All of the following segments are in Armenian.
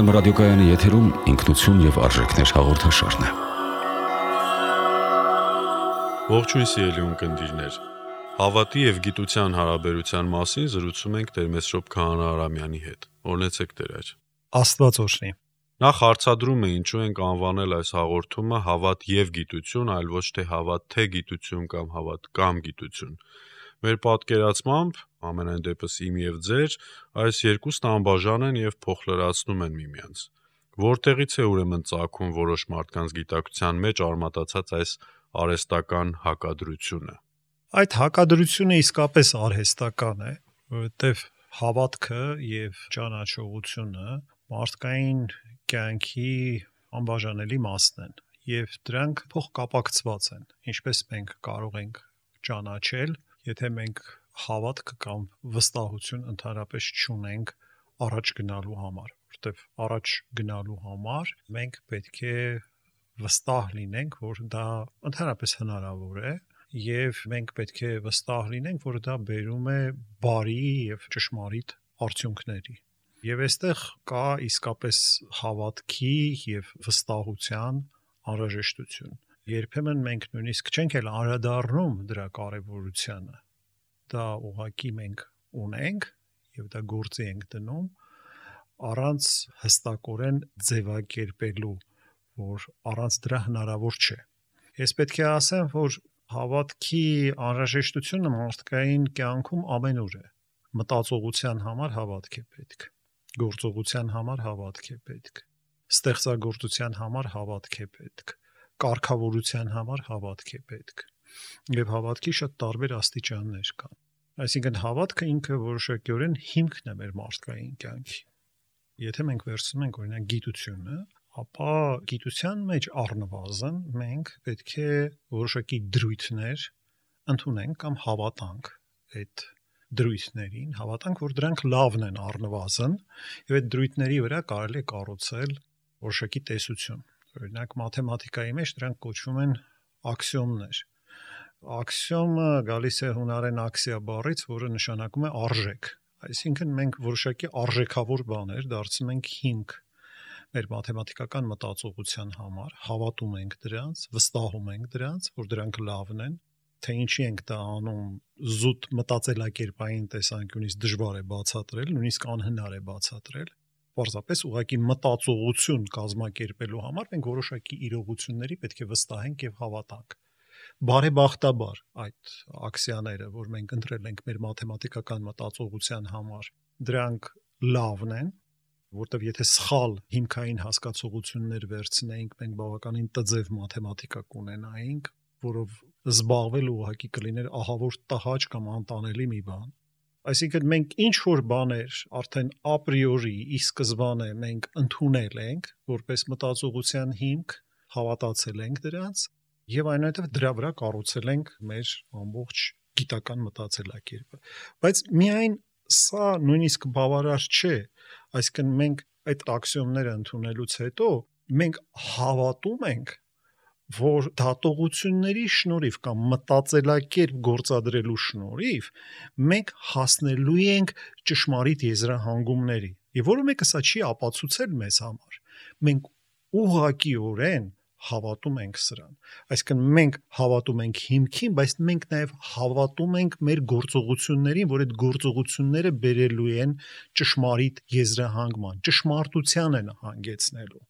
Երգորիա ռադիոկայանի եթերում ինքնություն եւ արժեքներ հաղորդաշարն է։ Ողջույն սիրելի ունկնդիրներ։ Հավատի եւ գիտության հարաբերության մասին զրուցում ենք Տեր Մեսրոպ Քահանա Արամյանի հետ։ Օրհնեցեք Տեր։ Աստված օրհնի։ Նախ հարցադրում է ինչու ենք անվանել այս հաղորդումը հավատ եւ գիտություն, այլ ոչ թե հավատ թե գիտություն կամ հավատ կամ գիտություն։ Մեր պատկերացմամբ, ամենայն դեպս իմ եւ ձեր, այս երկուսն անբաժան են եւ փոխլրացնում են միմյանց։ Որտեղից է ուրեմն ծագում որոշ մարդկանց գիտակցության մեջ արմատացած այս արհեստական հակադրությունը։ Այդ հակադրությունը իսկապես արհեստական է, որովհետև հավատքը եւ ճանաչողությունը մարդկային կյանքի անբաժանելի մասն են եւ դրանք փոխկապակցված են, ինչպես մենք կարող ենք ճանաչել, եթե մենք հավատք կամ վստահություն ընդհանրապես չունենք առաջ գնալու համար, որովհետև առաջ գնալու համար մենք պետք է վստահ լինենք, որ դա ընդհանրապես հնարավոր է, եւ մենք պետք է վստահ լինենք, որ դա բերում է բարի եւ ճշմարիտ արդյունքների։ Եվ այստեղ կա իսկապես հավատքի եւ վստահության անհրաժեշտություն։ Երբեմն մենք նույնիսկ չենք էլ անդրադառնում դրա կարևորությանը։ Դա ուղղակի մենք ունենք եւ դա գործի ենք դնում առանց հստակորեն ձևակերպելու, որ առանց դրա հնարավոր չէ։ Ես պետք է ասեմ, որ հավատքի անհրաժեշտությունը մարդկային կյանքում ամենուր է։ Մտածողության համար հավատք է պետք, գործողության համար հավատք է պետք, ստեղծագործության համար հավատք է պետք, կարգավորության համար հավատք է պետք։ Եվ հավատքի շատ տարբեր աստիճաններ կան։ Այսինքն հավատքը ինքը որոշակիորեն հիմքն է մեր մարդկային կյանքի։ Եթե մենք վերցնում ենք օրինակ գիտությունը, ապա գիտության մեջ առնվազն մենք պետք է որոշակի դրույթներ ընդունենք կամ հավատանք այդ դրույթներին, հավատանք, որ դրանք լավն են առնվազն, եւ այդ դրույթների վրա կարելի է կառուցել որոշակի տեսություն։ Օրինակ մաթեմատիկայի մեջ դրանք կոչվում են աքսիոմներ։ Աքսիոմը գալիս է հունարեն աքսիա բառից, որը նշանակում է արժեք։ Այսինքն մենք որոշակի արժեքավոր բաներ դարձնում ենք հիմք մեր մաթեմատիկական մտածողության համար, հավատում ենք դրանց, վստահում ենք դրանց, որ դրանք լավն են, թե ինչի ենք դա անում, զուտ մտածելակերպային տեսանկյունից դժվար է բացատրել, նույնիսկ անհնար է բացատրել։ Պարզապես ուղղակի մտածողություն կազմակերպելու համար մենք որոշակի իրողությունների պետք է վստահենք եւ հավատանք։ Բարեբախտաբար այդ աքսիաները, որ մենք ընտրել ենք մեր մաթեմատիկական մտածողության համար, դրանք լավն են, որտեվ եթե սխալ հիմքային հասկացողություններ վերցնեինք, մենք բավականին տձև մաթեմատիկա կունենայինք, որով զբաղվել ուղղակի կլիներ ահավոր տհաճ կամ անտանելի մի բան։ Այսինքն մենք ինչ որ բաներ արդեն ապրիորի ի սկզբանե մենք ընդունել ենք որպես մտածողության հիմք, հավատացել ենք դրանց եւ այնուհետեւ դրա վրա կառուցել ենք մեր ամբողջ գիտական մտածելակերպը։ Բայց միայն սա նույնիսկ բավարար չէ, այսինքն մենք այդ աքսիոմները ընդունելուց հետո մենք հավատում ենք, որ դատողությունների շնորհիվ կամ մտածելակերպ գործադրելու շնորհիվ մենք հասնելու ենք ճշմարիտ եզրահանգումների։ Եվ որը մեկը սա չի ապացուցել մեզ համար։ Մենք ուղղակիորեն հավատում ենք սրան։ Այսինքն մենք հավատում ենք հիմքին, բայց մենք նաև հավատում ենք մեր գործողություններին, որ այդ գործողությունները բերելու են ճշմարիտ եզրահանգման, ճշմարտության են հանգեցնելու։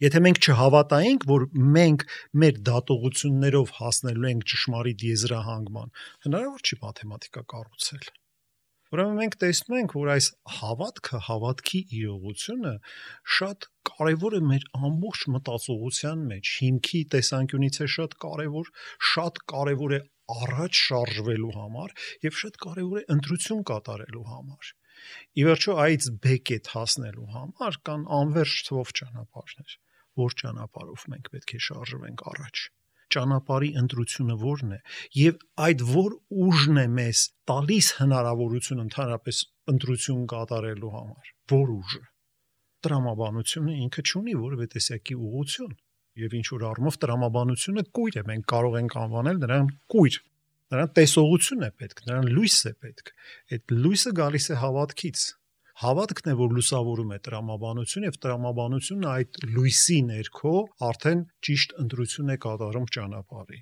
Եթե մենք չհավատայինք, որ մենք մեր դատողություններով հասնելու ենք ճշմարիտ եզրահանգման, հնարավոր չի մաթեմատիկա կառուցել։ Ուրեմն մենք տեսնում ենք, որ այս հավատքը, հավատքի իրողությունը շատ կարևոր է մեր ամբողջ մտածողության մեջ, հիմքի տեսանկյունից է շատ կարևոր է առաջ շարժվելու համար եւ շատ կարևոր է ընտրություն կատարելու համար։ Ի վերջո այց բեկետ հասնելու համար կան անվերջ թվով ճանապարհներ, որ ճանապարհով մենք պետք է շարժվենք առաջ։ Ճանապարհի ընտրությունը ո՞րն է եւ այդ որ ուժն է մեզ տալիս հնարավորություն ընդհանրապես ընտրություն կատարելու համար, որ ուժը։ Տրամաբանությունը ինքը չունի որևէ տեսակի ուղղություն եւ ինչ որ առումով տրամաբանությունը կույր է, մենք կարող ենք անվանել նրան կույր։ Նրան տեսողություն է պետք, նրան լույս է պետք։ Այդ լույսը գալիս է հավատքից, Հավատքն է, որ լուսավորում է տրամաբանություն եւ տրամաբանությունը այդ լույսի ներքո արդեն ճիշտ ընտրություն է կատարում ճանապարհի։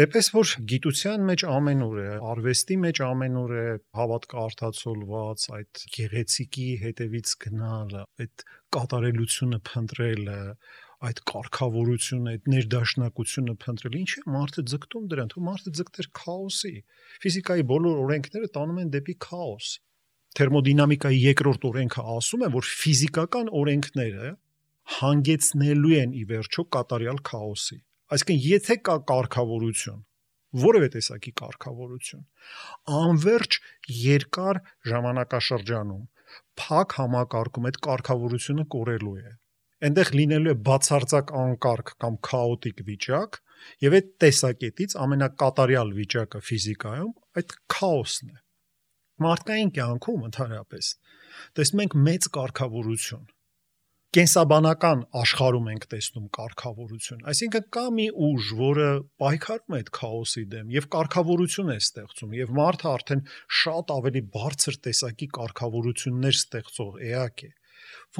Էպես որ գիտության մեջ ամենուր է, արվեստի մեջ ամենուր է հավատքը արտացոլված, այդ գեղեցիկի հետևից գնալը, այդ կատարելությունը փնտրելը, այդ կարգավորությունը, այդ ներդաշնակությունը փնտրելը, ինչ է մարդը ձգտում դրան, თუ մարդը ձգտեր քաոսի։ Ֆիզիկայի բոլոր օրենքները տանում են դեպի քաոս։ Թերմոդինամիկայի երկրորդ օրենքը ասում է, որ ֆիզիկական օրենքները հանգեցնելու են ի վերջո կատարյալ քաոսի։ Այսինքն, եթե կա կարգավորություն, որևէ տեսակի կարգավորություն, անverջ երկար ժամանակաշրջանում փակ համակարգում այդ կարգավորությունը կորելու է։ Այնտեղ լինելու է բացարձակ անկարգ կամ քաոտիկ վիճակ, եւ այդ տեսակետից ամենակատարյալ վիճակը ֆիզիկայում այդ քաոսն է։ Մարդկային կյանքում ընդհանրապես տեսնում ենք մեծ կարգավորություն։ Կենսաբանական աշխարհում ենք տեսնում կարգավորություն, այսինքն կա մի ուժ, որը պայքարում է այդ քաոսի դեմ եւ կարգավորություն է ստեղծում, եւ մարդը արդեն շատ ավելի բարձր տեսակի կարգավորություններ ստեղծող էակ է։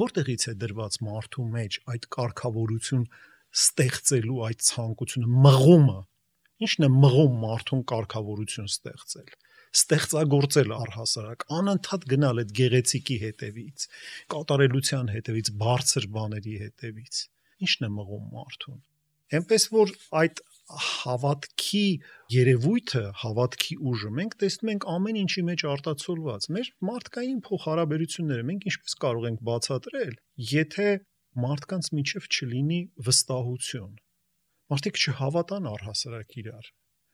Որտեղից է դրված մարդու մեջ այդ կարգավորություն ստեղծելու այդ ցանկությունը, մղումը։ Ինչն է մղում մարդուն կարգավորություն ստեղծել։ Ստեղծագործել առհասարակ, անընդհատ գնալ այդ գեղեցիկի հետևից, կատարելության հետևից, բարձր բաների հետևից։ Ինչն է մղում մարդուն։ Էնպես որ այդ հավատքի երևույթը, հավատքի ուժը մենք տեսնում ենք ամեն ինչի մեջ արտացոլված։ Մեր մարդկային փոխհարաբերությունները մենք ինչպես կարող ենք բացատրել, եթե մարդկանց միջև չլինի վստահություն։ Մարդիկ չհավատան առհասարակ իրար։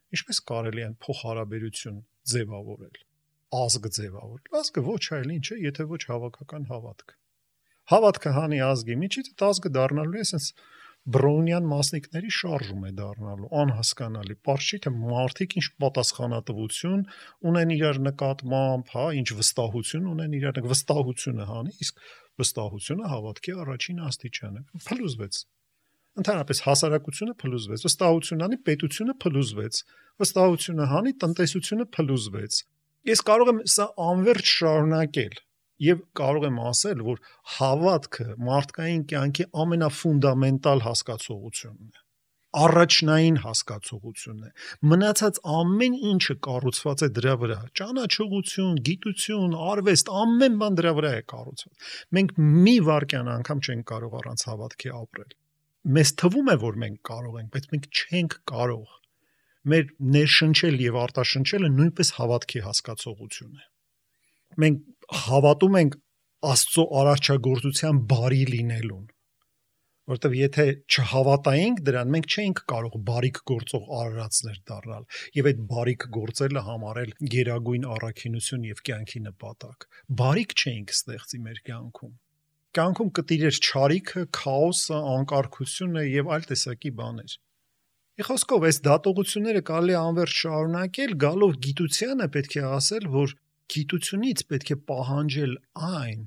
Ինչպես կարելի է փոխհարաբերություն ձևավորել, ազգ ձևավորել։ Ազգը ոչ այլ ինչ է, եթե ոչ հավաքական հավատք։ Հավատքը հանի ազգի միջից այդ ազգը դառնալու է ասես բրոնյան մասնիկների շարժում է դառնալու, անհասկանալի։ Պարզ չի թե մարդիկ ինչ պատասխանատվություն ունեն իրար նկատմամբ, հա, ինչ վստահություն ունեն իրար, վստահությունը հանի, իսկ վստահությունը հավատքի առաջին աստիճանը։ Փլուզվեց։ Ընդհանրապես հասարակությունը փլուզվեց, վստահությունը հանի, պետությունը փլուզվեց, վստահությունը հանի, տնտեսությունը փլուզվեց։ Ես կարող եմ սա անverջ շարունակել եւ կարող եմ ասել, որ հավատքը մարդկային կյանքի ամենաֆունդամենտալ հասկացողությունն է, առաջնային հասկացողությունն է։ Մնացած ամեն ինչը կառուցված է դրա վրա, ճանաչողություն, գիտություն, արվեստ, ամեն բան դրա վրա է կառուցված։ Մենք մի վայրկյան անգամ չենք կարող առանց հավատքի ապրել։ Մեզ թվում է, որ մենք կարող ենք, բայց մենք չենք կարող։ Մեր ներշնչել եւ արտաշնչելը նույնպես հավատքի հասկացողություն է։ Մենք հավատում ենք Աստծո արարչագործության բարի լինելուն, որովհետեւ եթե չհավատայինք դրան, մենք չէինք կարող բարիք գործող արարածներ դառնալ եւ այդ բարիք գործելը համարել գերագույն առաքինություն եւ կյանքի նպատակ։ Բարիք չէինք ստեղծի մեր կյանքում։ Կյանքում կտիրեր չարիքը, քաոսը, անկարգությունը եւ այլ տեսակի բաներ։ Իխոսքով այս դատողությունները կարելի է անverջ շարունակել, գալով գիտությանը պետք է ասել, որ գիտությունից պետք է պահանջել այն,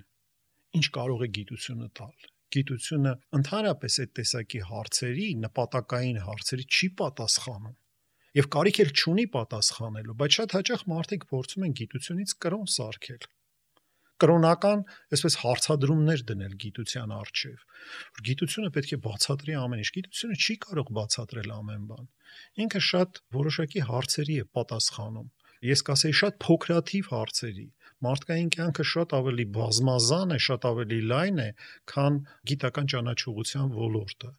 ինչ կարող է գիտությունը տալ։ Գիտությունը ընդհանրապես այդ տեսակի հարցերի, նպատակային հարցերի չի պատասխանում եւ կարիք էլ չունի պատասխանելու, բայց շատ հաճախ մարդիկ փորձում են գիտությունից կրոն սարքել։ Կրոնական, այսպես հարցադրումներ դնել գիտության առջև, որ գիտությունը պետք է բացատրի ամեն ինչ, գիտությունը չի կարող բացատրել ամեն բան։ Ինքը շատ որոշակի հարցերի է պատասխանում։ Ես կասեի շատ փոքրաթիվ հարցերի։ Մարդկային կյանքը շատ ավելի բազմազան է, շատ ավելի լայն է, քան գիտական ճանաչողության ոլորտը։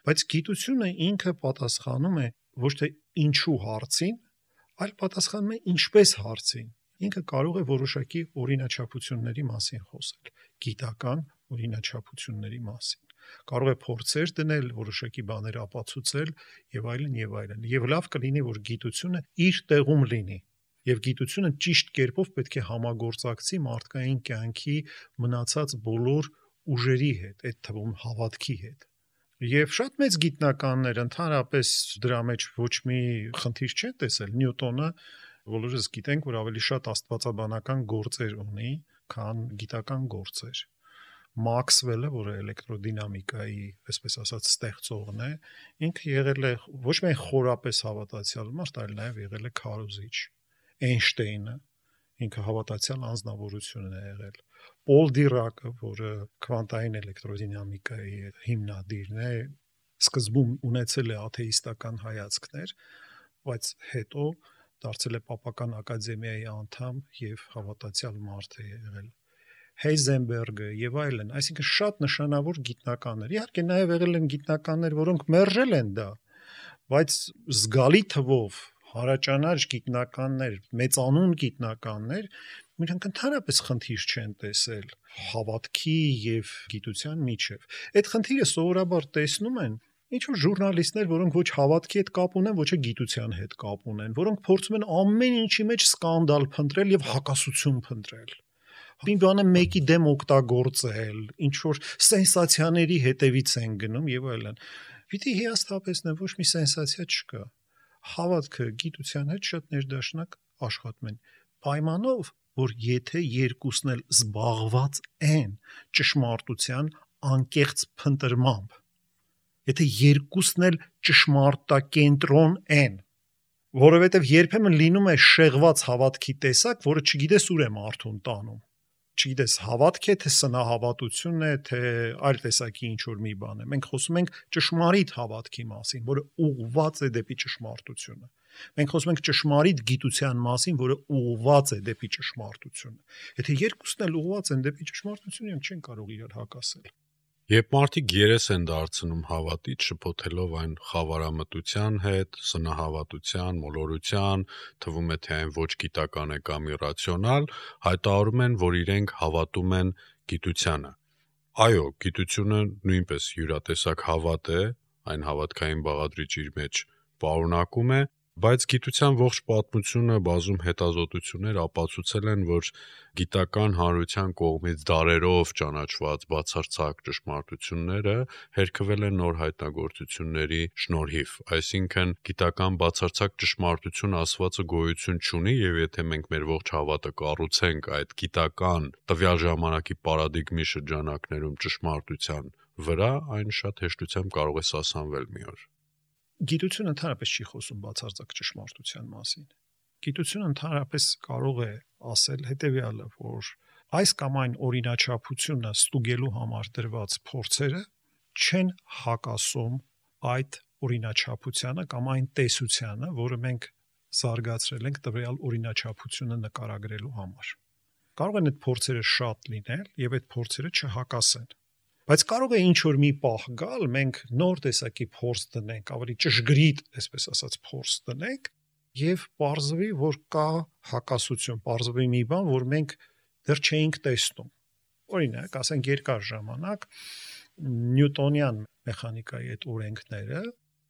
Բայց գիտությունը ինքը պատասխանում է ոչ թե ինչու հարցին, այլ պատասխանում է ինչպես հարցին։ Ինքը կարող է որոշակի օրինաչափությունների մասին խոսել, գիտական օրինաչափությունների մասին։ Կարող է փորձեր դնել, որոշակի բաներ ապացուցել եւ այլն եւ այլն։ Եվ լավ կլինի, որ գիտությունը իր տեղում լինի։ Եվ գիտությունը ճիշտ կերպով պետք է համագործակցի մարդկային կյանքի մնացած բոլոր ուժերի հետ, այդ թվում հավատքի հետ։ Եվ շատ մեծ գիտնականներ ընդհանրապես դրա մեջ ոչ մի խնդիր չեն տեսել։ Նյուտոնը բոլորս գիտենք, որ ավելի շատ աստվածաբանական գործեր ունի, քան գիտական գործեր։ Մաքսվելը, որը էլեկտրոդինամիկայի, այսպես ասած, ստեղծողն է, ինքը եղել է ոչ միայն խորապես հավատացյալ մարդ, այլ նաև եղել է քարոզիչ։ Էյնշտեյնը ինքը հավատացյալ անձնավորություն է եղել։ Պոլ Դիրակը, որը քվանտային էլեկտրոդինամիկայի հիմնադիրն է, սկզբում ունեցել է աթեիստական հայացքներ, բայց հետո դարձել է Պապական ակադեմիայի անդամ եւ հավատացյալ մարդ է եղել։ Heisenberg-ը եւ այլն, այսինքն շատ նշանավոր գիտնականներ։ Իհարկե նաեւ եղել են գիտնականներ, որոնք մերժել են դա, բայց զգալի թվով հարաճանաչ գիտնականներ, մեծանուն գիտնականներ իրենք ընդհանրապես խնդիր չեն տեսել հավատքի եւ գիտության միջև։ Այդ խնդիրը սովորաբար տեսնում են ինչ որ ժուրնալիստներ, որոնք ոչ հավատքի հետ կապ ունեն, ոչ էլ գիտության հետ կապ ունեն, որոնք փորձում են ամեն ինչի մեջ սկանդալ փնտրել եւ հակասություն փնտրել։ Մի բանը մեկի դեմ օգտագործել, ինչ որ սենսացիաների հետևից են գնում եւ այլն։ Պիտի հիասթափեցնեմ, ոչ մի սենսացիա չկա։ Հավատքը գիտության հետ շատ ներդաշնակ աշխատում են։ Պայմանով, որ եթե երկուսն էլ զբաղված են ճշմարտության անկեղծ փնտրմամբ, եթե երկուսն էլ ճշմարտակենտրոն են, որովհետեւ երբեմն լինում է շեղված հավատքի տեսակ, որը չգիտես ուր է մարդուն տանում։ Չգիտես, հավատք է, թե սնահավատություն է, թե այլ տեսակի ինչ որ մի բան է։ Մենք խոսում ենք ճշմարիտ հավատքի մասին, որը ուղղված է դեպի ճշմարտությունը։ Մենք խոսում ենք ճշմարիտ գիտության մասին, որը ուղղված է դեպի ճշմարտությունը։ Եթե երկուսն էլ ուղղված են դեպի ճշմարտություն, իրենք չեն կարող իրար հակասել։ Երբ մարդիկ երես են դարձնում հավատից, շփոթելով այն խավարամտության հետ, սնահավատության, մոլորության, թվում է թե այն ոչ գիտական է կամ իրացիոնալ, հայտարարում են, որ իրենք հավատում են գիտությանը։ Այո, գիտությունը նույնպես յուրատեսակ հավատ է, այն հավատքային բաղադրիչ իր մեջ պարունակում է, բայց գիտության ողջ պատմությունը բազում հետազոտություններ ապացուցել են, որ գիտական հանրության կողմից դարերով ճանաչված բացարձակ ճշմարտությունները հերքվել են նոր հայտնագործությունների շնորհիվ։ Այսինքն գիտական բացարձակ ճշմարտություն ասվածը գոյություն չունի, եւ եթե մենք մեր ողջ հավատը կառուցենք այդ գիտական տվյալ ժամանակի պարադիգմի շրջանակներում ճշմարտության վրա, այն շատ հեշտությամբ կարող է սասանվել մի օր։ Գիտությունը ընդհանրապես չի խոսում բացարձակ ճշմարտության մասին։ Գիտությունը ընդհանրապես կարող է ասել հետեւյալը, որ այս կամ այն օրինաչափությունը ստուգելու համար դրված փորձերը չեն հակասում այդ օրինաչափությանը կամ այն տեսությանը, որը մենք զարգացրել ենք տվյալ օրինաչափությունը նկարագրելու համար։ Կարող են այդ փորձերը շատ լինել եւ այդ փորձերը չհակասեն։ Բայց կարող է ինչ որ մի պահ գալ, մենք նոր տեսակի փորձ դնենք, ավելի ճշգրիտ, այսպես ասած, փորձ դնենք եւ պարզվի, որ կա հակասություն, պարզվի մի բան, որ մենք դեռ չէինք տեսնում։ Օրինակ, ասենք երկար ժամանակ նյուտոնյան մեխանիկայի այդ օրենքները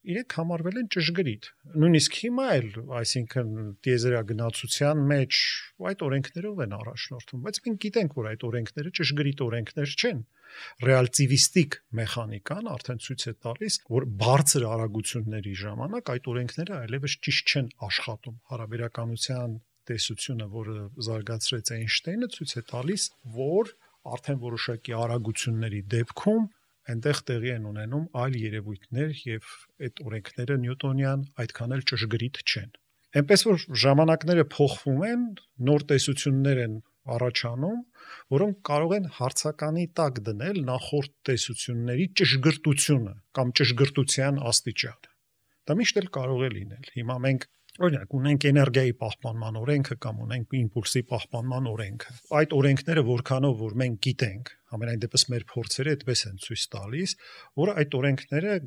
իրենք համարվել են ճշգրիտ։ Նույնիսկ հիմա էլ, այսինքն տիեզերագնացության մեջ այդ օրենքներով են առաջնորդվում, բայց մենք գիտենք, որ այդ օրենքները ճշգրիտ օրենքներ չեն։ Ռեալտիվիստիկ մեխանիկան արդեն ցույց է տալիս, որ բարձր արագությունների ժամանակ այդ օրենքները այլևս ճիշտ չեն աշխատում։ Հարաբերականության տեսությունը, որը զարգացրեց Էյնշտեյնը, ցույց է տալիս, որ արդեն որոշակի արագությունների դեպքում այնտեղ տեղի են ունենում այլ երևույթներ եւ այդ օրենքները նյուտոնյան այդքան էլ ճշգրիտ չեն։ Այնպես որ ժամանակները փոխվում են, նոր տեսություններ են առաջանում, որոնք կարող են հարցականի տակ դնել նախորդ տեսությունների ճշգրտությունը կամ ճշգրտության աստիճանը։ Դա միշտ էլ կարող է լինել։ Հիմա մենք օրինակ ունենք էներգիայի պահպանման օրենքը կամ ունենք իմպուլսի պահպանման օրենքը։ Այդ օրենքները որքանով որ մենք գիտենք, ամենայն դեպս մեր փորձերը այդպես են ցույց տալիս, որ այդ օրենքները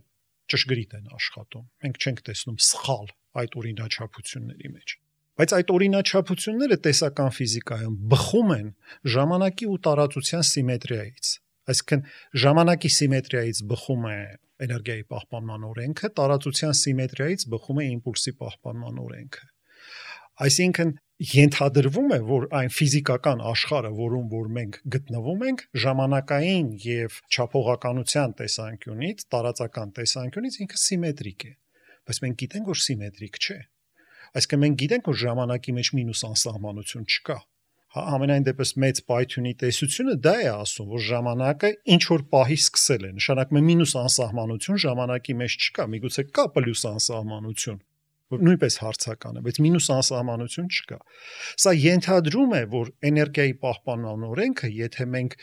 ճշգրիտ են աշխատում։ Մենք չենք տեսնում սխալ այդ օրինաչափությունների մեջ։ Բայց այդ օրինաչափությունները տեսական ֆիզիկայում բխում են ժամանակի ու տարածության սիմետրիայից։ Այսինքն ժամանակի սիմետրիայից բխում է էներգիայի պահպանման օրենքը, տարածության սիմետրիայից բխում է իմպուլսի պահպանման օրենքը։ Այսինքն ենթադրվում է, որ այն ֆիզիկական աշխարհը, որում որ մենք գտնվում ենք, ժամանակային եւ չափողականության տեսանկյունից, տարածական տեսանկյունից ինքը սիմետրիկ է։ Բայց մենք գիտենք, որ սիմետրիկ չէ։ Այսինքն մենք գիտենք, որ ժամանակի մեջ մինուս անսահմանություն չկա։ Ամենայն դեպս մեծ պայթյունի տեսությունը դա է ասում, որ ժամանակը ինչ որ պահի սկսել է, նշանակում է մինուս անսահմանություն ժամանակի մեջ չկա, միգուցե կա պլյուս անսահմանություն, որ նույնպես հարցական է, բայց մինուս անսահմանություն չկա։ Սա ենթադրում է, որ էներգիայի պահպանման օրենքը, եթե մենք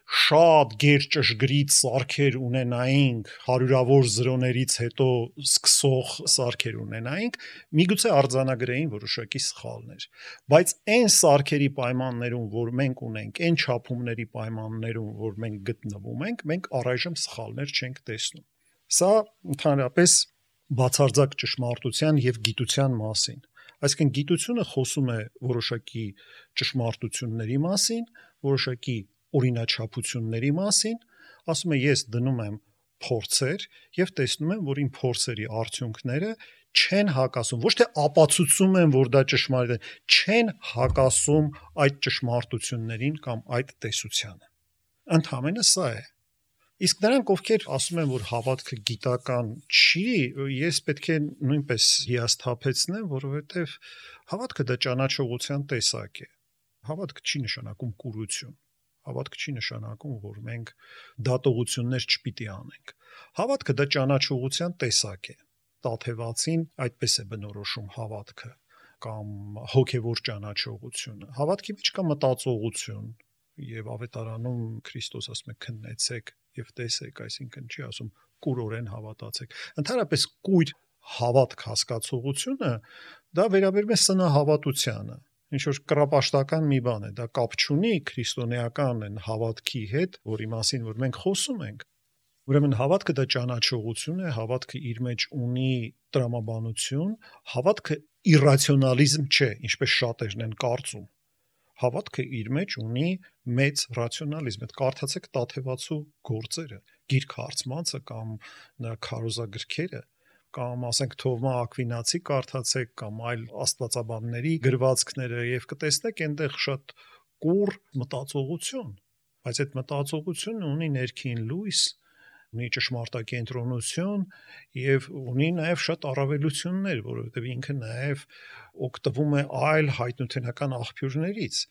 շատ գերճշգրիտ սարքեր ունենայինք, հարյուրավոր զրոներից հետո սկսող սարքեր ունենայինք, միգուցե արձանագրեին որոշակի սխալներ, բայց այն սարքերի պայմաններում, որ մենք ունենք, այն չափումների պայմաններում, որ մենք գտնվում ենք, մենք առայժմ սխալներ չենք տեսնում։ Սա ընդհանրապես բացարձակ ճշմարտության եւ գիտության մասին։ Այսինքն գիտությունը խոսում է որոշակի ճշմարտությունների մասին, որոշակի օրինաչափությունների մասին, ասում է ես դնում եմ փորձեր եւ տեսնում եմ, որ իմ փորձերի արդյունքները չեն հակասում, ոչ թե ապացուցում են, որ դա ճշմարիտ է, չեն հակասում այդ ճշմարտություններին կամ այդ տեսությանը։ Ընդհանրապես սա է։ Իսկ նրանք, ովքեր ասում են, որ հավատքը գիտական չի, ես պետք է նույնպես հիասթափեցնեմ, որովհետև հավատքը դա ճանաչողության տեսակ է։ Հավատքը չի նշանակում կուրություն։ Հավատքը չի նշանակում, որ մենք դատողություններ չպիտի անենք։ Հավատքը դա ճանաչողության տեսակ է։ Տաթևացին այդպես է բնորոշում հավատքը կամ հոգևոր ճանաչողությունը։ Հավատքի մեջ կա մտածողություն, եւ ավետարանում Քրիստոս ասում է քննեցեք եւ տեսեք, այսինքն չի ասում կուրորեն հավատացեք։ Ընդհանրապես կույր հավատք հասկացողությունը դա վերաբերում է սնահավատությանը, ինչ որ կռապաշտական մի բան է, դա կապ չունի քրիստոնեական են հավատքի հետ, որի մասին որ մենք խոսում ենք։ Ուրեմն հավատքը դա ճանաչողություն է, հավատքը իր մեջ ունի տրամաբանություն, հավատքը իռացիոնալիզմ չէ, ինչպես շատերն են կարծում։ Հավատքը իր մեջ ունի մեծ ռացիոնալիզմ։ Այդ կարդացեք Տաթևացու գործերը, Գիրք Հարցմանցը կամ նրա քարոզագրքերը, կամ ասենք Թովմա Ակվինացի կարդացեք կամ այլ աստվածաբանների գրվածքները եւ կտեսնեք այնտեղ շատ կուռ մտածողություն, բայց այդ մտածողությունը ունի ներքին լույս, ունի ճշմարտակենտրոնություն եւ ունի նաեւ շատ առավելություններ, որովհետեւ ինքը նաեւ օգտվում է այլ հայտնութենական աղբյուրներից։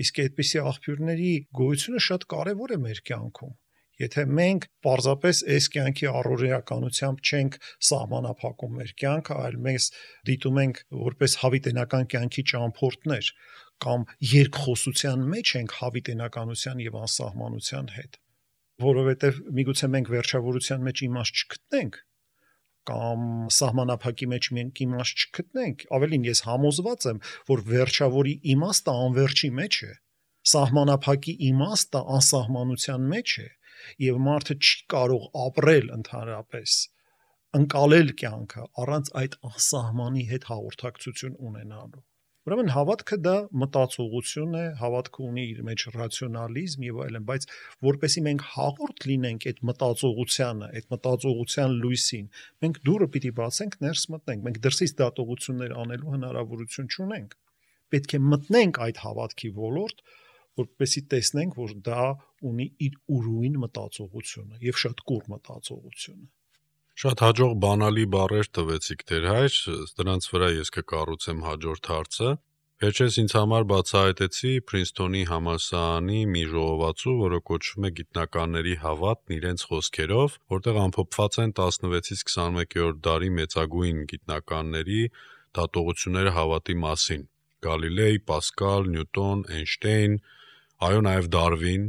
Իսկ այդպիսի աղբյուրների գոյությունը շատ կարեւոր է մեր կյանքում։ Եթե մենք պարզապես այս կյանքի առօրեականությամբ չենք սահմանափակում մեր կյանքը, այլ մենք դիտում ենք որպես հավիտենական կյանքի ճամփորդներ կամ երկխոսության մեջ ենք հավիտենականության եւ անսահմանության հետ, որովհետեւ միգուցե մենք վերջավորության մեջ իմաստ չգտնենք կամ սահմանափակի մեջ մենք իմաստ չգտնենք, ավելին ես համոզված եմ, որ վերջավորի իմաստը անվերջի մեջ է, սահմանափակի իմաստը անսահմանության մեջ է, եւ մարդը չի կարող ապրել ընդհանրապես, ընկալել կյանքը առանց այդ անսահմանի հետ հաղորդակցություն ունենալու։ Ուրեմն հավատքը դա մտածողություն է, հավատքը ունի իր մեջ ռացիոնալիզմ եւ այլն, բայց որպեսզի մենք հաղորդ լինենք այդ մտածողությանը, այդ մտածողության լույսին, մենք դուռը պիտի բացենք, ներս մտնենք, մենք դրսից դատողություններ անելու հնարավորություն չունենք։ Պետք է մտնենք այդ հավատքի ոլորտ, որպեսզի տեսնենք, որ դա ունի իր ուրույն մտածողությունը եւ շատ կուռ մտածողությունը։ Շատ հաջող բանալի բառեր տվեցիք Տեր հայր, դրանց վրա ես կկառուցեմ հաջորդ հարցը։ Վերջերս ինձ համար բացահայտեցի Փրինսթոնի համալսարանի մի ժողովածու, որը կոչվում է Գիտնականների հավատն իրենց խոսքերով, որտեղ ամփոփված են 16-ից 21-րդ դարի մեծագույն գիտնականների դատողությունները հավատի մասին։ Գալիլեյ, Պասկալ, Նյուտոն, Էյնշտեյն, այո, նաև Դարվին,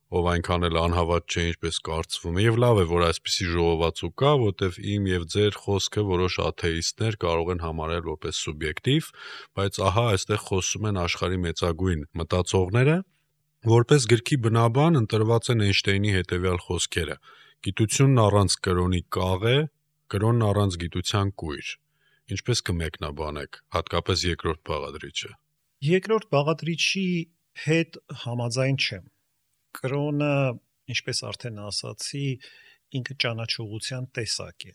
ով այնքան էլ անհավատ չէ, ինչպես կարծվում է, եւ լավ է, որ այսպիսի ժողովածու կա, որտեվ իմ եւ ձեր խոսքը որոշ աթեիստներ կարող են համարել որպես սուբյեկտիվ, բայց ահա այստեղ խոսում են աշխարհի մեծագույն մտածողները, որպես գրքի բնաբան ընտրված են Էյնշտեյնի հետեւյալ խոսքերը. գիտությունն առանց կրոնի կաղ է, կրոնն առանց գիտության կույր։ Ինչպես կմեկնաբանեք, հատկապես երկրորդ բաղադրիչը։ Երկրորդ բաղադրիչի հետ համաձայն չեմ։ Կրոնը, ինչպես արդեն ասացի, ինքը ճանաչողության տեսակ է։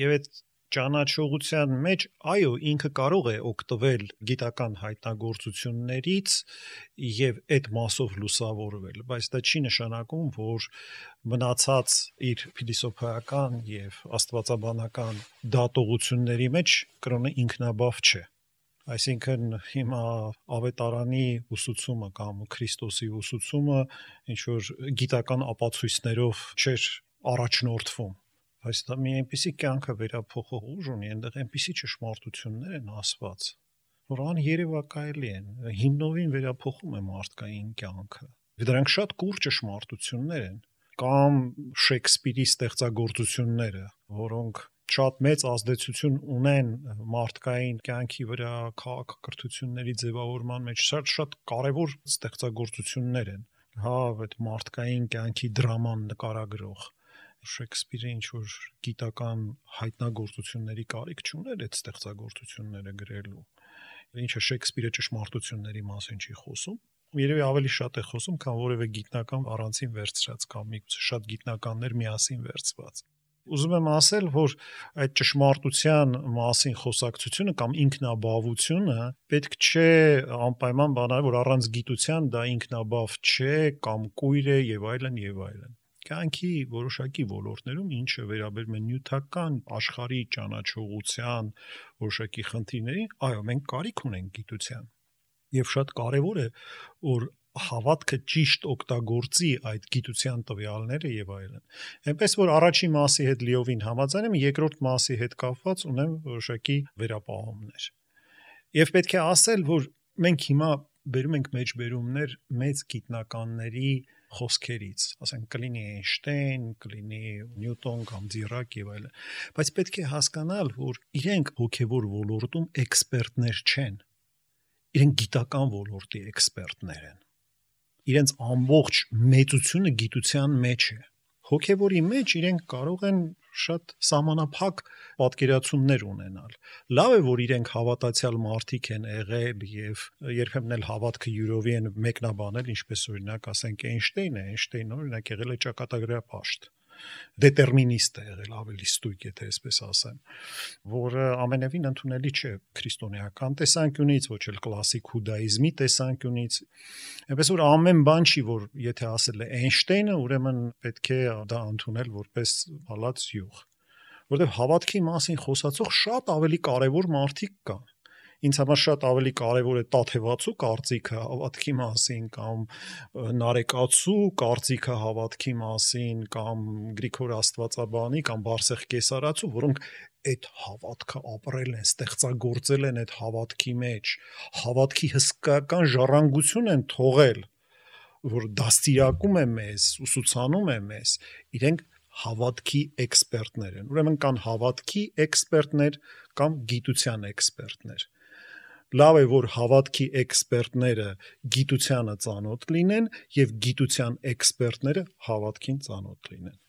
Եվ այդ ճանաչողության մեջ, այո, ինքը կարող է օգտվել գիտական հայտնագործություններից եւ այդ մասով լուսավորվել, բայց դա չի նշանակում, որ մնացած իր փիլիսոփայական եւ աստվածաբանական դատողությունների մեջ կրոնը ինքնաբավ չէ։ Այսինքն հիմա ավետարանի ուսուցումը կամ Քրիստոսի ուսուցումը ինչ որ գիտական ապացույցներով չէր առաջնորդվում։ Բայց դա մի այնպիսի կյանքը վերափոխող ուժ ունի, այնտեղ այնպիսի ճշմարտություններ են ասված, որ աներևակայելի են, հիմնովին վերափոխում է մարդկային կյանքը։ Դրանք շատ կուր ճշմարտություններ են, կամ Շեքսպիրի ստեղծագործությունները, որոնք շատ մեծ ազդեցություն ունեն մարդկային կյանքի վրա, քաղաքակրթությունների ձևավորման մեջ, շատ կարևոր ստեղծագործություններ են։ Հա, այդ մարդկային կյանքի դրաման նկարագրող Շեքսպիրը ինչ-որ գիտական հայտնագործությունների կարիք չուներ այդ ստեղծագործությունները գրելու։ Ինչը Շեքսպիրը ճշմարտությունների մասին չի խոսում, երևի ավելի շատ է խոսում, քան որևէ գիտնական առանցին վերցրած կամ միգուցե շատ գիտնականներ միասին վերցված։ Ուզում եմ ասել, որ այդ ճշմարտության մասին խոսակցությունը կամ ինքնաբավությունը պետք չէ անպայման բանալ, որ առանց գիտության դա ինքնաբավ չէ կամ կույր է եւ այլն եւ այլն։ Կյանքի որոշակի ոլորտներում, ինչը վերաբերում է նյութական աշխարհի ճանաչողության որոշակի խնդիրների, այո, մենք կարիք ունենք գիտության։ Եվ շատ կարևոր է, որ հավատքը ճիշտ օգտագործի այդ գիտության տվյալները եւ այլն։ Այնպես որ առաջի մասի հետ լիովին համաձայն եմ, երկրորդ մասի հետ կապված ունեմ որոշակի վերապահումներ։ Եվ պետք է ասել, որ մենք հիմա բերում ենք մեջբերումներ մեծ գիտնականների խոսքերից, ասենք կլինի Էյնշտեյն, կլինի Նյուտոն կամ Դիրակ եւ այլն, բայց պետք է հասկանալ, որ իրենք հոգեվոր ոլորտում էքսպերտներ չեն, իրենք գիտական ոլորտի էքսպերտներ են, իրենց ամբողջ մեծությունը գիտության մեջ է, հոգեվորի մեջ իրենք կարող են շատ սահմանափակ պատկերացումներ ունենալ։ Լավ է, որ իրենք հավատացյալ մարդիկ են եղել եւ երբեմն էլ հավատքը յուրովի են մեկնաբանել, ինչպես օրինակ ասենք Էյնշտեյնը օրինակ եղել է ճակատագրյա պաշտ, դետերմինիստ է եղել, ավելի ստույգ, եթե այսպես ասեմ, որը ամենևին ընդունելի չէ քրիստոնեական տեսանկյունից, ոչ էլ կլասիկ հուդաիզմի տեսանկյունից։ Այնպես որ ամեն բան չի, որ եթե ասել է Էյնշտեյնը, ուրեմն պետք է դա ընդունել որպես հալած յուղ, որովհետև հավատքի մասին խոսացող շատ ավելի կարևոր մարդիկ կան։ Ինձ համար շատ ավելի կարևոր է Տաթևացու կարծիքը հավատքի մասին կամ Նարեկացու կարծիքը հավատքի մասին կամ Գրիգոր Աստվածաբանի կամ Բարսեղ Կեսարացու, որոնք այդ հավատքը ապրել են, ստեղծագործել են այդ հավատքի մեջ, հավատքի հսկայական ժառանգություն են թողել, որ դաստիարակում է մեզ, ուսուցանում է մեզ, իրենք հավատքի էքսպերտներ են։ Ուրեմն կան հավատքի էքսպերտներ կամ գիտության էքսպերտներ։ Լավ է, որ հավատքի էքսպերտները գիտությանը ծանոթ լինեն եւ գիտության էքսպերտները հավատքին ծանոթ լինեն։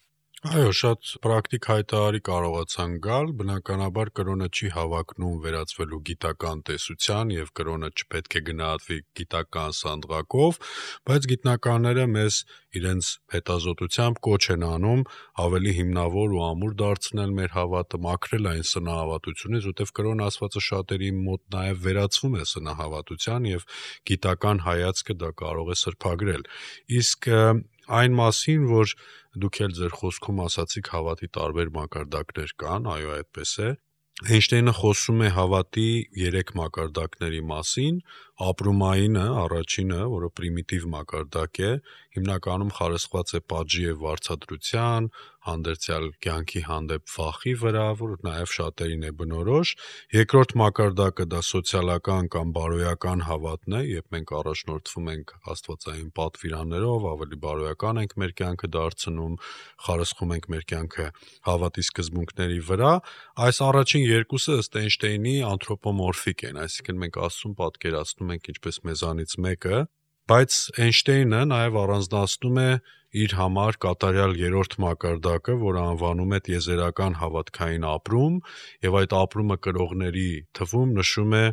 Այո, շատ պրակտիկ հայտարարի կարողացան գալ, բնականաբար կրոնը չի հավակնում վերածվելու գիտական տեսության եւ կրոնը չպետք է գնահատվի գիտական սանդղակով, բայց գիտնականները մեզ իրենց հետազոտությամբ կոչ են անում ավելի հիմնավոր ու ամուր դարձնել մեր հավատը, մաքրել այն սնահավատությունից, որտեղ կրոն ասվածը շատերի մոտ նաեւ վերածվում է սնահավատության եւ գիտական հայացքը դա կարող է սրբագրել։ Իսկ այն մասին, որ դուք էլ ձեր խոսքում ասացիք հավատի տարբեր մակարդակներ կան, այո, այդպես է։ Էյնշտեյնը խոսում է հավատի 3 մակարդակների մասին, ապրումայինը, առաջինը, որը պրիմիտիվ մակարդակ է, հիմնականում խարսխված է պատժի եւ վարձատրության, հանդերձյալ կյանքի հանդեպ վախի վրա, որ նաեւ շատերին է բնորոշ։ Երկրորդ մակարդակը դա սոցիալական կամ բարոյական հավատն է, երբ մենք առաջնորդվում ենք աստվածային պատվիրաններով, ավելի բարոյական ենք մեր կյանքը դարձնում, խարսխում ենք մեր կյանքը հավատի սկզբունքների վրա։ Այս առաջին երկուսը ըստ Էյնշտեյնի անթրոպոմորֆիկ են, այսինքն մենք Աստծուն պատկերացնում ենք ինչպես մեզանից մեկը, բայց Էյնշտեյնը նաև առանձնացնում է իր համար կատարյալ երրորդ մակարդակը, որը անվանում է տիեզերական հավատքային ապրում, եւ այդ ապրումը կրողների թվում նշում է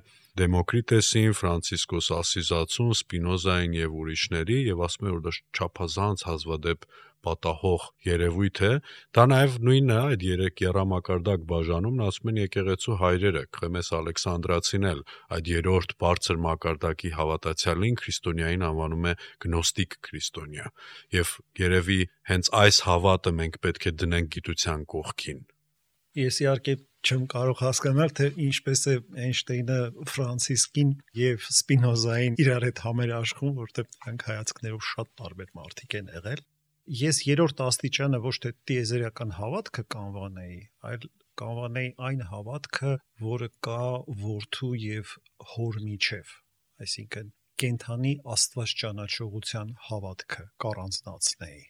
Դեմոկրիտեսին, Ֆրանցիսկոս Ասիզացուն, Սպինոզային եւ ուրիշների, եւ ասում է, որ դա չափազանց հազվադեպ պատահող երևույթ է։ Դա նաև նույնը է, այդ 3 եռամակարդակ բաժանումն ասում են եկեղեցու հայրերը, Խմես Ալեքսանդրացին էլ այդ երրորդ բարձր մակարդակի հավատացյալին քրիստոնյային անվանում է գնոստիկ քրիստոնյա։ Եվ երևի հենց այս հավատը մենք պետք է դնենք գիտության կողքին։ Ես իհարկե չեմ կարող հասկանալ, թե ինչպես է Էյնշտեյնը Ֆրանցիսկին եւ Սպինոզային իրար հետ համերաշխում, որտեղ նրանք հայացքներով շատ տարբեր մարդիկ են եղել։ Ես երրորդ աստիճանը ոչ թե տիեզերական հավատքը կանվանեի, այլ կանվանեի այն հավատքը, որը կա որդու եւ հոր միջև, այսինքն կենթանի Աստված ճանաչողության հավատքը կառանձնացնեի,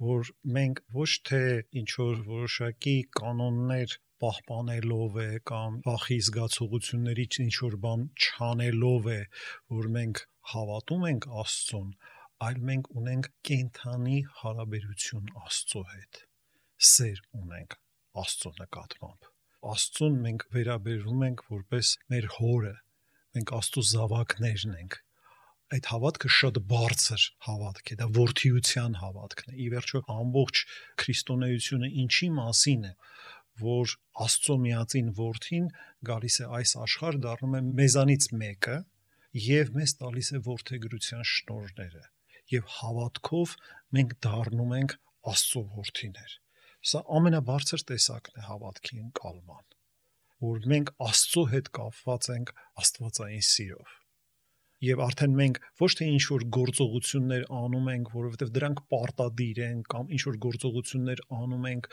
որ մենք ոչ թե ինչ որ որոշակի կանոններ պահպանելով է կամ վախի զգացողություններից ինչ որ բան չանելով է, որ մենք հավատում ենք Աստծուն, այլ մենք ունենք կենթանի հարաբերություն Աստծո հետ, սեր ունենք Աստծո նկատմամբ։ Աստծուն մենք վերաբերվում ենք որպես մեր հորը, մենք Աստծո զավակներն ենք։ Այդ հավատքը շատ բարձր հավատք է, դա որդիության հավատքն է։ Ի վերջո ամբողջ քրիստոնեությունը ինչի մասին է, որ Աստծո միածին որդին գալիս է այս աշխարհ, դառնում է մեզանից մեկը եւ մեզ տալիս է որդեգրության շնորհները, եւ հավատքով մենք դառնում ենք Աստծո որդիներ։ Սա ամենաբարձր տեսակն է հավատքի ընկալման, որ մենք Աստծո հետ կապված ենք աստվածային սիրով։ Եվ արդեն մենք ոչ թե ինչ որ գործողություններ անում ենք, որովհետև դրանք պարտադիր են, կամ ինչ որ գործողություններ անում ենք,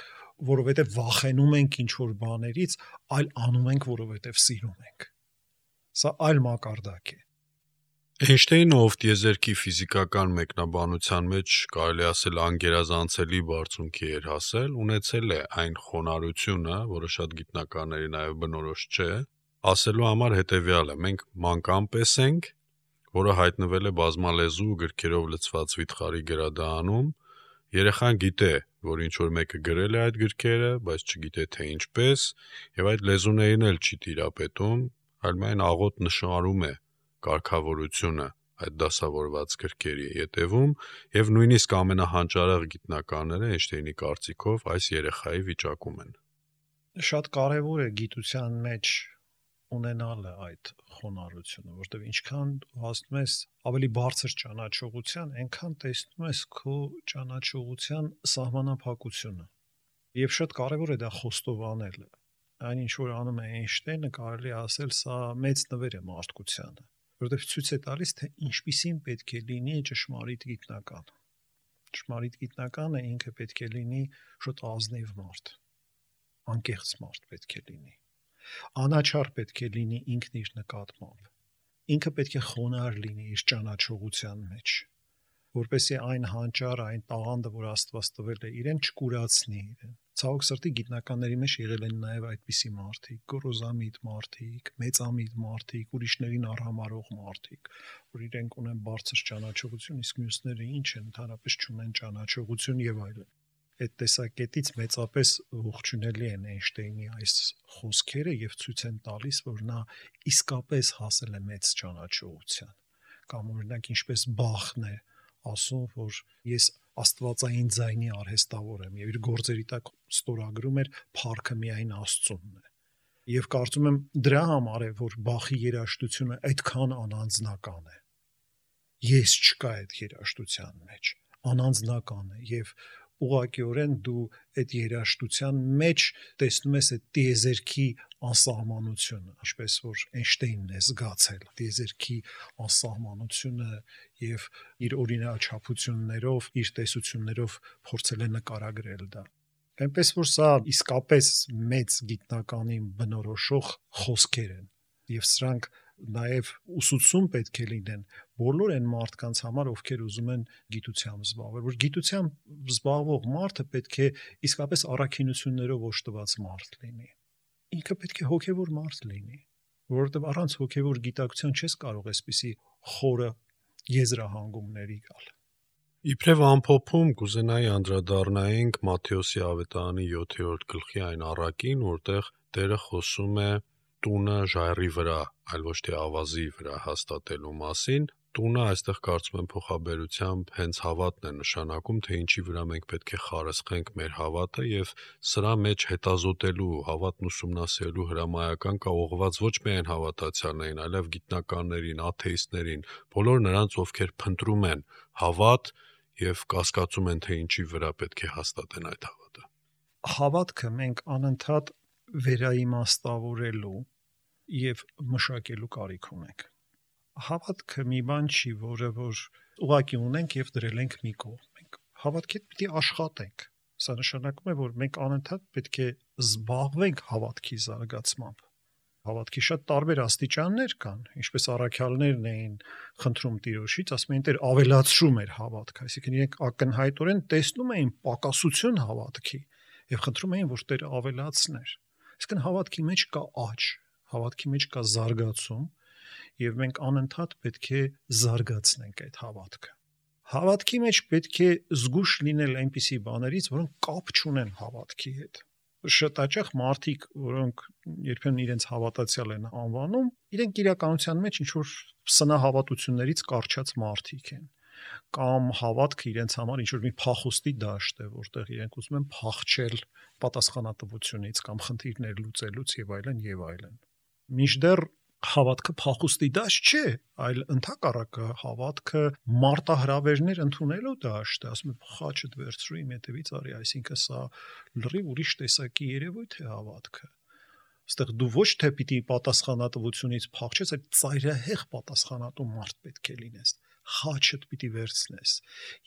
որովհետև վախենում ենք ինչ որ բաներից, այլ անում ենք, որովհետև սիրում ենք։ Սա այլ մակարդակ է։ Էյնշտեյնը, ով տիեզերքի ֆիզիկական մեկնաբանության մեջ կարելի ասել անգերազանցելի բարձունքի էր հասել, ունեցել է այն խոնարհությունը, որը շատ գիտնականների նաև բնորոշ չէ, ասելու համար հետևյալը. մենք մանկամպես ենք, որը հայտնվել է բազմալեզու գրքերով լցված վիթխարի գրադարանում, երեխան գիտե, որ ինչ որ մեկը գրել է այդ գրքերը, բայց չգիտե թե ինչպես, եւ այդ լեզուներին էլ չի տիրապետում, այլ միայն աղոտ նշարում է կարգավորությունը այդ դասավորված գրքերի ետևում, եւ նույնիսկ ամենահանճարեղ գիտնականները Էյնշտեյնի կարծիքով այս երեխայի վիճակում են։ Շատ կարևոր է գիտության մեջ ունենալը այդ խոնարհությունը, որտեղ ինչքան հասնում ես ավելի բարձր ճանաչողության, այնքան տեսնում ես քո ճանաչողության սահմանափակությունը։ Եվ շատ կարևոր է դա խոստովանելը։ Այն ինչ որ անում է Էյնշտեյնը, կարելի ասել, սա մեծ նվեր է մարդկությանը, որովհետև ցույց է տալիս, թե ինչպիսին պետք է լինի ճշմարիտ գիտնական։ Ճշմարիտ գիտնականը ինքը պետք է լինի շատ ազնիվ մարդ, անկեղծ մարդ պետք է լինի, անաչառ պետք է լինի ինքն իր նկատմամբ, ինքը պետք է խոնարհ լինի իր ճանաչողության մեջ, որպեսզի այն հանճարը, այն տաղանդը, որ Աստված տվել է իրեն, չկուրացնի իրեն։ Ցավոք սրտի գիտնականների մեջ եղել են նաև այդպիսի մարդիկ, գոռոզամիտ մարդիկ, մեծամիտ մարդիկ, ուրիշներին արհամարհող մարդիկ, որ իրենք ունեն բարձր ճանաչողություն, իսկ մյուսները ինչ են, ընդհանրապես չունեն ճանաչողություն եւ այլն։ Այդ տեսակետից մեծապես ողջունելի են Էյնշտեյնի այս խոսքերը եւ ցույց են տալիս, որ նա իսկապես հասել է մեծ ճանաչողության, կամ օրինակ ինչպես Բախն է ասում, որ ես աստվածային ձայնի արհեստավոր եմ եւ իր գործերի տակ ստորագրում էր փառքը միայն Աստծունն է։ Եվ կարծում եմ դրա համար է, որ Բախի երաժշտությունը այդքան անանձնական է։ Ես չկա այդ երաժշտության մեջ, անանձնական է եւ ուղղակիորեն դու այդ երաժշտության մեջ տեսնում ես այդ տիեզերքի անսահմանությունը, ինչպես որ Էյնշտեյնն է զգացել տիեզերքի անսահմանությունը եւ իր օրինաչափություններով, իր տեսություններով փորձել է նկարագրել դա։ Այնպես որ սա իսկապես մեծ գիտնականին բնորոշող խոսքեր են եւ սրանք նաև ուսուցում պետք է լինեն բոլոր այն մարդկանց համար, ովքեր ուզում են գիտությամբ զբաղվել, որ գիտությամբ զբաղվող մարդը պետք է իսկապես առաքինություններով օժտված մարդ լինի։ Ինքը պետք է հոգևոր մարդ լինի, որովհետև առանց հոգևոր գիտակցության չես կարող այսպիսի խորը եզրահանգումների գալ։ Իբրև ամփոփում կուզենայի անդրադառնայինք Մատթեոսի ավետարանի 7-րդ գլխի այն առակին, որտեղ Տերը խոսում է տունը ժայռի վրա, այլ ոչ թե ավազի վրա հաստատելու մասին։ Տունը այստեղ կարծում եմ փոխաբերությամբ հենց հավատն է նշանակում, թե ինչի վրա մենք պետք է խարսխենք մեր հավատը եւ սրա մեջ հետազոտելու, հավատն ուսումնասիրելու հրամայական կա ուղղված ոչ միայն հավատացյալներին, այլև գիտնականներին, աթեիստներին, բոլոր նրանց, ովքեր փնտրում են հավատ եւ կասկածում են, թե ինչի վրա պետք է հաստատեն այդ հավատը։ Հավատքը մենք անընդհատ վերաիմաստավորելու եւ մշակելու կարիք ունենք։ Հավատքը մի բան չի, որը որ ուղակի ունենք եւ դրել ենք մի կողմ։ Մենք հավատքի հետ պիտի աշխատենք։ Սա նշանակում է, որ մենք անընդհատ պետք է զբաղվենք հավատքի զարգացմամբ։ Հավատքի շատ տարբեր աստիճաններ կան, ինչպես առաքյալներն էին խնդրում Տիրոջից, ասում էին Տեր ավելացրու մեր հավատքը, այսինքն իրենք ակնհայտորեն տեսնում էին պակասություն հավատքի եւ խնդրում էին, որ Տերը ավելացներ։ Այսինքն հավատքի մեջ կա աճ, հավատքի մեջ կա զարգացում եւ մենք անընդհատ պետք է զարգացնենք այդ հավատքը։ Հավատքի մեջ պետք է զգուշ լինել այնպիսի բաներից, որոնք կապ չունեն հավատքի հետ։ Շատ հաճախ մարդիկ, որոնք երբեմն իրենց հավատացյալ են անվանում, իրենք իրականության մեջ ինչ-որ սնահավատություններից կարճած մարդիկ են, կամ հավատքը իրենց համար ինչ-որ մի փախուստի դաշտ է, որտեղ իրենք ուզում են փախչել պատասխանատվությունից կամ խնդիրներ լուծելուց եւ այլն եւ այլն։ Մինչդեռ հավատքը փախուստի դաշտ չէ, այլ ընդհակառակը հավատքը մարտահրավերներ ընդունելու դաշտ է, ասում է խաչդ վերցրու իմ հետևից արի, այսինքն սա լրիվ ուրիշ տեսակի երևույթ է հավատքը։ Այստեղ դու ոչ թե պիտի պատասխանատվությունից փախչես, այլ ծայրահեղ պատասխանատու մարդ պետք է լինես։ Խաչդ պիտի վերցնես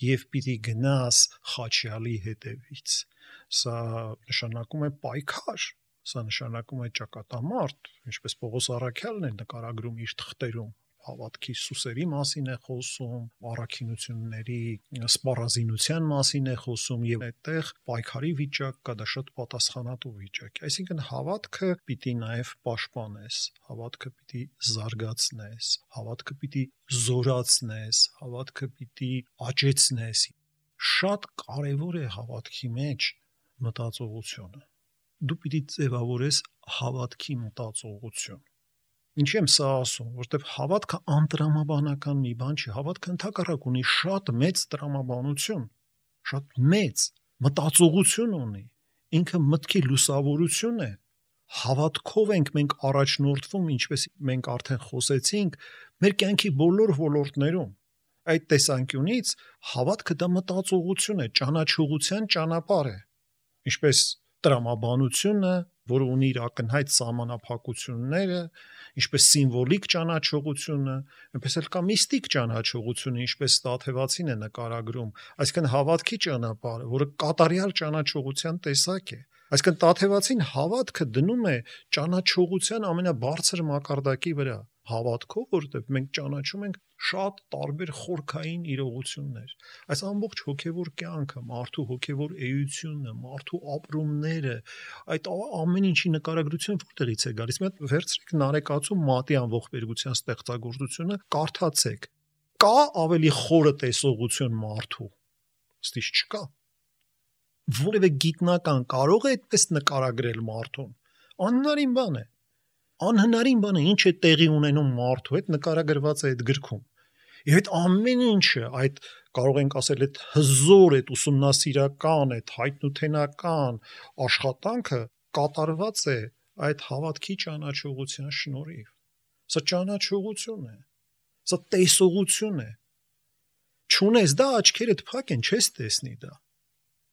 եւ պիտի գնաս խաչյալի հետևից։ Սա նշանակում է պայքար, սա նշանակում է ճակատամարտ, ինչպես Պողոս առաքյալն է նկարագրում իր թղթերում, հավատքի սուսերի մասին է խոսում, առաքինությունների սպառազինության մասին է խոսում եւ այդտեղ պայքարի վիճակ կա, դա շատ պատասխանատու վիճակ է։ Այսինքն հավատքը պիտի նաեւ պաշտպանես, հավատքը պիտի զարգացնես, հավատքը պիտի զորացնես, հավատքը պիտի աճեցնես։ Շատ կարեւոր է հավատքի մեջ մտածողությունը։ Դու պիտի ձևավորես հավատքի մտածողություն։ Ինչի եմ սա ասում, որտեվ հավատքը անտրամաբանական մի բան չի, հավատքը ընդհակառակ ունի շատ մեծ տրամաբանություն, շատ մեծ մտածողություն ունի, ինքը մտքի լուսավորություն է։ Հավատքով ենք մենք առաջնորդվում, ինչպես մենք արդեն խոսեցինք, մեր կյանքի բոլոր ոլորտներում։ Այդ տեսանկյունից հավատքը դա մտածողություն է, ճանաչողության ճանապարհ է, ինչպես տրամաբանությունը, որը ունի իր ակնհայտ սահմանափակությունները, ինչպես սիմվոլիկ ճանաչողությունը, այնպես էլ կա միստիկ ճանաչողությունը, ինչպես Տաթևացին է նկարագրում, այսինքն հավատքի ճանապարհը, որը կատարյալ ճանաչողության տեսակ է։ Այսինքն Տաթևացին հավատքը դնում է ճանաչողության ամենաբարձր մակարդակի վրա, հավատքով, որովհետև մենք ճանաչում ենք շատ տարբեր խորքային իրողություններ։ Այս ամբողջ հոգևոր կյանքը, մարդու հոգևոր էությունը, մարդու ապրումները, այդ ամեն ինչի նկարագրություն որտեղից է գալիս։ Մի հատ վերցրեք Նարեկացու Մատի անողբերգության ստեղծագործությունը, կարդացեք։ Կա ավելի խորը տեսողություն մարդու։ Ստիշ չկա։ Որևէ գիտնական կարող է այդպես նկարագրել մարդուն։ Անհնարին բան է։ Անհնարին բան է, ինչ է տեղի ունենում մարդու հետ նկարագրված է այդ գրքում։ Եվ այդ ամեն ինչը, այդ կարող ենք ասել այդ հզոր, այդ ուսումնասիրական, այդ հայտնութենական աշխատանքը կատարված է այդ հավատքի ճանաչողության շնորհիվ։ Սա ճանաչողություն է։ Սա տեսողություն է։ Չունես դա, աչքերդ փակ են, չես տեսնի դա։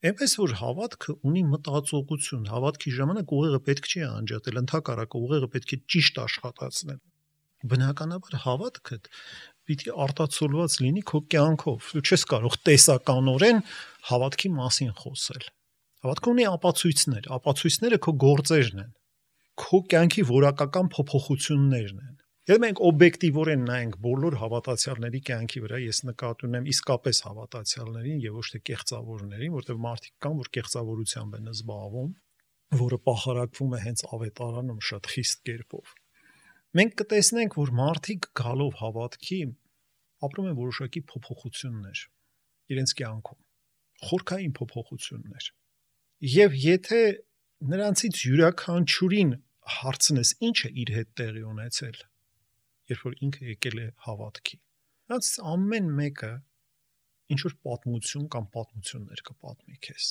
Այնպես որ հավատքը ունի մտածողություն, հավատքի ժամանակ ուղեղը պետք չի անջատել, ընդհակառակը ուղեղը պետք է ճիշտ աշխատացնել։ Բնականաբար հավատքդ պիտի արտացոլված լինի քո կյանքով։ Դու չես կարող տեսականորեն հավատքի մասին խոսել։ Հավատքը ունի ապացույցներ, ապացույցները քո գործերն են, քո կյանքի որակական փոփոխություններն են։ Եթե մենք օբյեկտիվորեն նայենք բոլոր հավատացյալների կյանքի վրա, ես նկատի ունեմ իսկապես հավատացյալներին եւ ոչ թե կեղծավորներին, որտեղ մարդիկ կան, որ կեղծավորությամբ են զբաղվում, որը պախարակվում է հենց ավետարանում շատ խիստ կերպով։ Մենք կտեսնենք, որ մարդիկ գալով հավատքի ապրում են որոշակի փոփոխություններ իրենց կյանքում, խորքային փոփոխություններ։ Եվ եթե նրանցից յուրաքանչյուրին հարցնես, ինչ է իր հետ տեղի ունեցել, երբ որ ինքը եկել է հավատքի, նրանց ամեն մեկը ինչ որ պատմություն կամ պատմություններ կպատմի քեզ։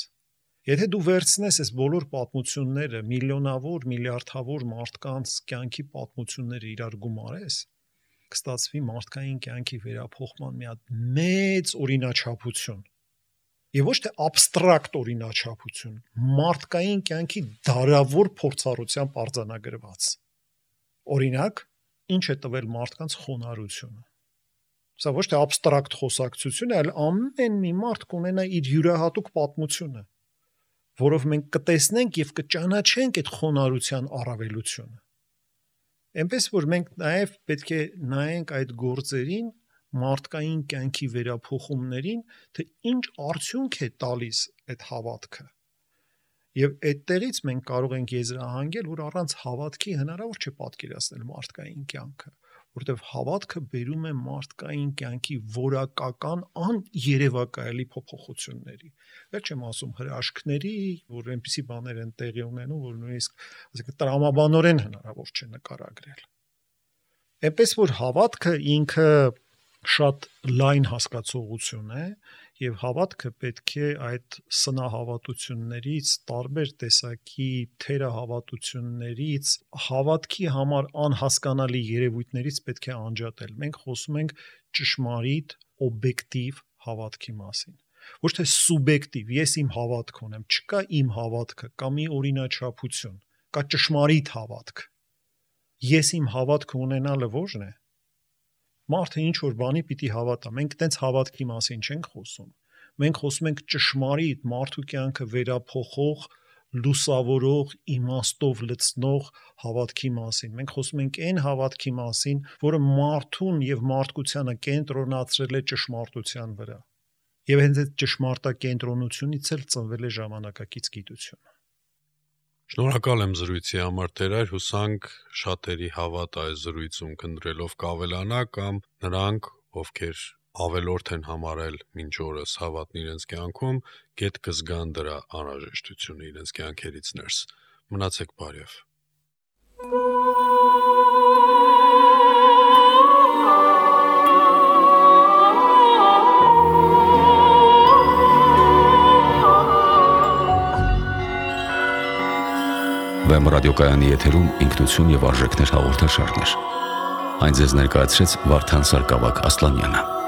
Եթե դու վերցնես այս բոլոր պատմությունները, միլիոնավոր, միլիարդավոր մարդկանց կյանքի պատմությունները իրար գումարես, կստացվի մարդկային կյանքի վերափոխման մի հատ մեծ օրինաչափություն։ Եվ ոչ թե абստրակտ օրինաչափություն, մարդկային կյանքի դարավոր փորձառությամբ արձանագրված։ Օրինակ, ինչ է տվել մարդկանց խոնարհությունը։ Սա ոչ թե абստրակտ խոսակցություն է, այլ ամեն մի մարդ կունենա իր յուրահատուկ պատմությունը, որով մենք կտեսնենք եւ կճանաչենք այդ խոնարհության առավելությունը։ Այնպես որ մենք նաեւ պետք է նայենք այդ գործերին, մարդկային կյանքի վերափոխումներին, թե ինչ արդյունք է տալիս այդ հավատքը։ Եվ այդտեղից մենք կարող ենք եզրահանգել, որ առանց հավատքի հնարավոր չէ պատկերացնել մարդկային կյանքը, որտեղ հավատքը բերում է մարդկային կյանքի որակական աներևակայելի փոփոխությունների։ Վերջ չեմ ասում հրաշքների, որ այնպիսի բաներ են տեղի ունենում, որ նույնիսկ, ասենք, տրամաբանորեն հնարավոր չէ նկարագրել։ Այնպես որ հավատքը ինքը շատ լայն հասկացողություն է եւ հավատքը պետք է այդ սնահավատություններից, տարբեր տեսակի թերահավատություններից, հավատքի համար անհասկանալի երևույթներից պետք է անջատել։ Մենք խոսում ենք ճշմարիտ, օբյեկտիվ հավատքի մասին։ Ոչ թե սուբյեկտիվ, ես իմ հավատք ունեմ, չկա իմ հավատքը, կա մի օրինաչափություն, կա ճշմարիտ հավատք։ Ես իմ հավատքը ունենալը ո՞րն է։ Մարդը ինչ որ բանի պիտի հավատա։ Մենք տենց հավատքի մասին չենք խոսում։ Մենք խոսում ենք ճշմարիտ մարդու կյանքը վերափոխող, լուսավորող, իմաստով լցնող հավատքի մասին։ Մենք խոսում ենք այն հավատքի մասին, որը մարդուն եւ մարդկությանը կենտրոնացրել է ճշմարտության վրա։ Եվ հենց այդ ճշմարտակենտրոնությունից էլ ծնվել է ժամանակակից գիտությունը։ Շնորհակալ եմ զրույցի համար, Տերայր, հուսանք շատերի հավատը այս զրույցում քննելով կավելանա կամ նրանք, ովքեր ավելորդ են համարել մինչ օրս հավատն իրենց կյանքում, գետ կզգան դրա անհրաժեշտությունը իրենց կյանքերից ներս։ Մնացեք բարև։ Վեմ ռադիոկայանի եթերում ինքնություն եւ արժեքներ հաղորդաշարներ։ Այն ձեզ ներկայացրեց Վարդան Սարգսակ Ասլանյանը։